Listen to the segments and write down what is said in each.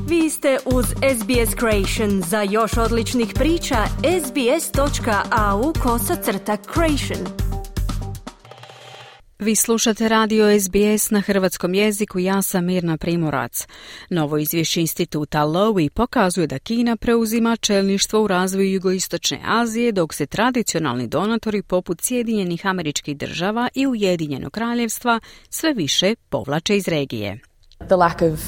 Vi ste uz SBS Creation. Za još odličnih priča, sbs.au/creation. Vi slušate radio SBS na hrvatskom jeziku, ja sam Mirna Primorac. Novo izvješće instituta Lowy pokazuje da Kina preuzima čelništvo u razvoju jugoistočne Azije, dok se tradicionalni donatori poput Sjedinjenih Američkih Država i Ujedinjenog Kraljevstva sve više povlače iz regije. The lack of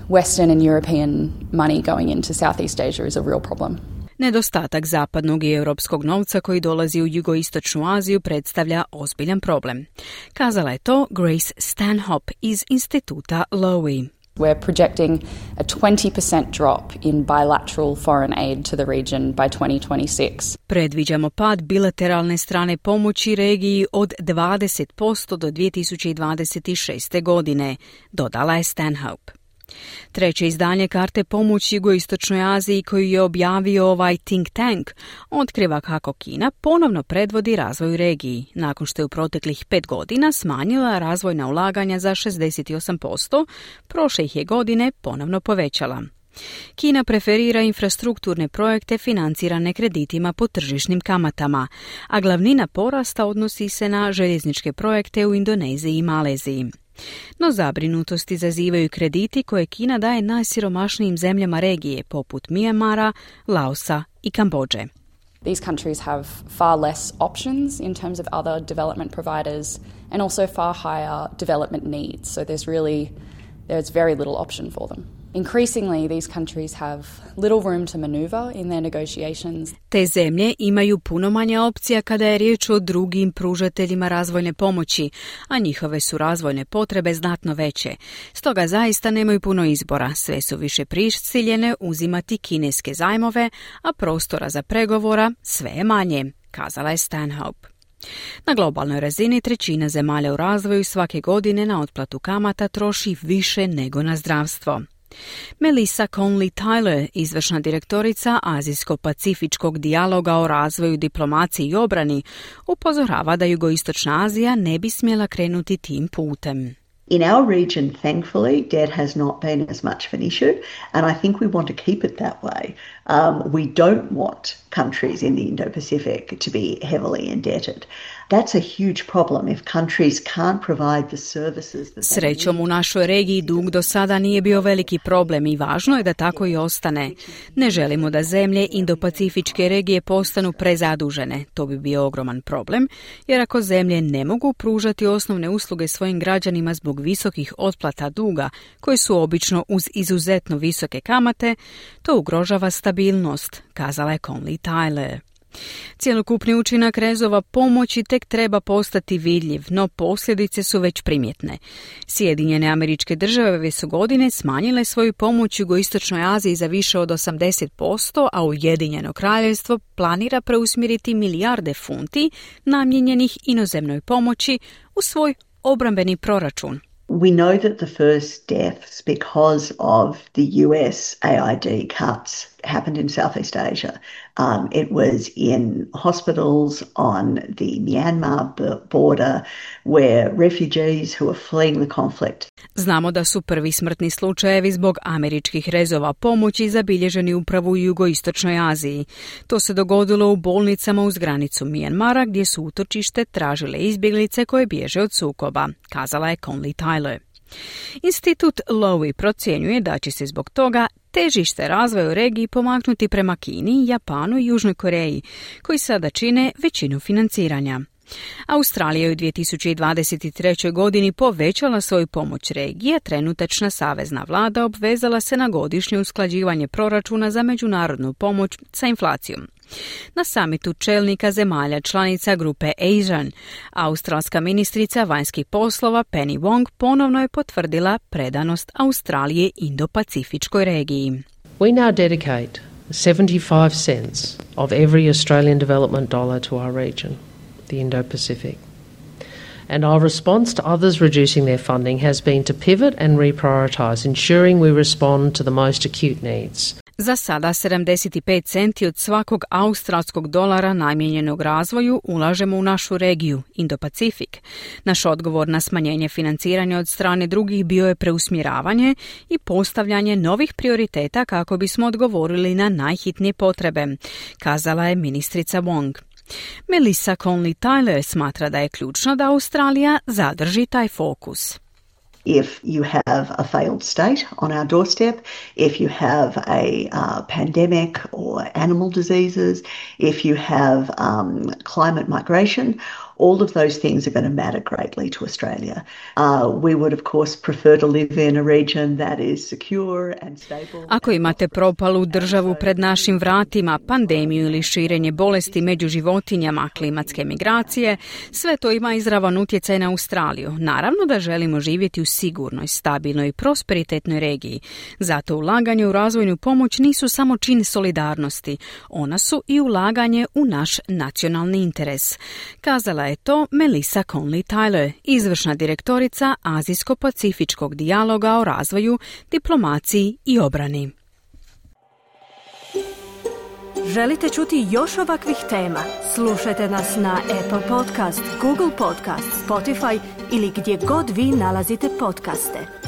Western and European money going into Southeast Asia is a real problem. Nedostatak zapadnog i europskog novca koji dolazi u jugoistočnu Aziju predstavlja ozbiljan problem. Kazala je to Grace Stanhope iz instituta Lowy. We're projecting a 20% drop in bilateral foreign aid to the region by 2026. Predviđamo pad bilateralne strane pomoći regiji od 20% do 2026. godine, dodala je Stanhope. Treće izdanje karte pomoći jugoistočnoj Aziji koju je objavio ovaj think tank otkriva kako Kina ponovno predvodi razvoju regiji, nakon što je u proteklih 5 godina smanjila razvojna ulaganja za 68%, prošle ih je godine ponovno povećala. Kina preferira infrastrukturne projekte financirane kreditima po tržišnim kamatama, a glavnina porasta odnosi se na željezničke projekte u Indoneziji i Maleziji. No zabrinutost izazivaju krediti koje Kina daje najsiromašnijim zemljama regije, poput Myanmara, Laosa i Kambodže. These countries have far less options in terms of other development providers and also far higher development needs. So there's very little option for them. Increasingly, these countries have little room to maneuver in their negotiations. Te zemlje imaju puno manje opcija kada je riječ o drugim pružateljima razvojne pomoći, a njihove su razvojne potrebe znatno veće. Stoga zaista nemaju puno izbora, sve su više prisiljene uzimati kineske zajmove, a prostora za pregovora sve je manje, kazala je Stanhope. Na globalnoj razini 1/3 zemalja u razvoju svake godine na otplatu kamata troši više nego na zdravstvo. Melissa Conley-Tyler, izvršna direktorica Azijsko-pacifičkog dijaloga o razvoju, diplomaciji i obrani, upozorava da jugoistočna Azija ne bi smjela krenuti tim putem. In our region, thankfully, debt has not been as much of an issue, and I think we want to keep it that way. We don't want countries in the Indo-Pacific to be heavily indebted. That's a huge problem if countries can't provide the services that they need. Srećom, u našoj regiji dug do sada nije bio veliki problem i važno je da tako i ostane. Ne želimo da zemlje Indo-Pacifičke regije postanu prezadužene. To bi bio ogroman problem, jer ako zemlje ne mogu pružati osnovne usluge svojim građanima zbog visokih otplata duga, koji su obično uz izuzetno visoke kamate, to ugrožava stabilnost, kazala je Conley-Tyler. Cjelokupni učinak rezova pomoći tek treba postati vidljiv, no posljedice su već primjetne. Sjedinjene Američke Države ove su godine smanjile svoju pomoć jugoistočnoj Aziji za više od 80%, a Ujedinjeno Kraljevstvo planira preusmjeriti milijarde funti namijenjenih inozemnoj pomoći u svoj obrambeni proračun. We know that the first deaths because of the US AID cuts happened in Southeast Asia. It was in hospitals on the Myanmar border where refugees who are fleeing the conflict. Znamo da su prvi smrtni slučajevi zbog američkih rezova pomoći zabilježeni upravo u jugoistočnoj Aziji. To se dogodilo u bolnicama uz granicu Myanmara gdje su utočište tražile izbjeglice koje bježe od sukoba, kazala je Conley-Tyler. Institut Lowy procjenjuje da će se zbog toga težište razvoja u regiji pomaknuti prema Kini, Japanu i Južnoj Koreji, koji sada čine većinu financiranja. Australija je u 2023. godini povećala svoju pomoć regiji, a trenutačna savezna vlada obvezala se na godišnje usklađivanje proračuna za međunarodnu pomoć sa inflacijom. Na samitu čelnika zemalja članica grupe ASEAN, australska ministrica vanjskih poslova Penny Wong ponovno je potvrdila predanost Australije Indo-Pacifičkoj regiji. We now dedicate 75 cents of every Australian development dollar to our region, the Indo-Pacific. And our response to others reducing their funding has been to pivot and reprioritise, ensuring we respond to the most acute needs. Za sada 75 centi od svakog australskog dolara namijenjenog razvoju ulažemo u našu regiju, Indo-Pacifik. Naš odgovor na smanjenje financiranja od strane drugih bio je preusmjeravanje i postavljanje novih prioriteta kako bismo odgovorili na najhitnije potrebe, kazala je ministrica Wong. Melissa Conley-Tyler smatra da je ključno da Australija zadrži taj fokus. If you have a failed state on our doorstep, if you have a pandemic or animal diseases, if you have climate migration, all of those things are going to matter greatly to Australia. We would, of course, prefer to live in a region that is secure and stable. Ako imate propalu državu pred našim vratima, pandemiju ili širenje bolesti među životinjama, klimatske migracije, sve to ima izravan utjecaj na Australiju. Naravno da želimo živjeti u sigurnoj, stabilnoj i prosperitetnoj regiji. Zato ulaganje u razvojnu pomoć nisu samo čin solidarnosti. Ona su i ulaganje u naš nacionalni interes. Kazala je to Melissa Conley-Tyler, izvršna direktorica Azijsko-pacifičkog dijaloga o razvoju, diplomaciji i obrani. Želite čuti još ovakvih tema? Slušajte nas na Apple Podcast, Google Podcast, Spotify ili gdje god vi nalazite podcaste.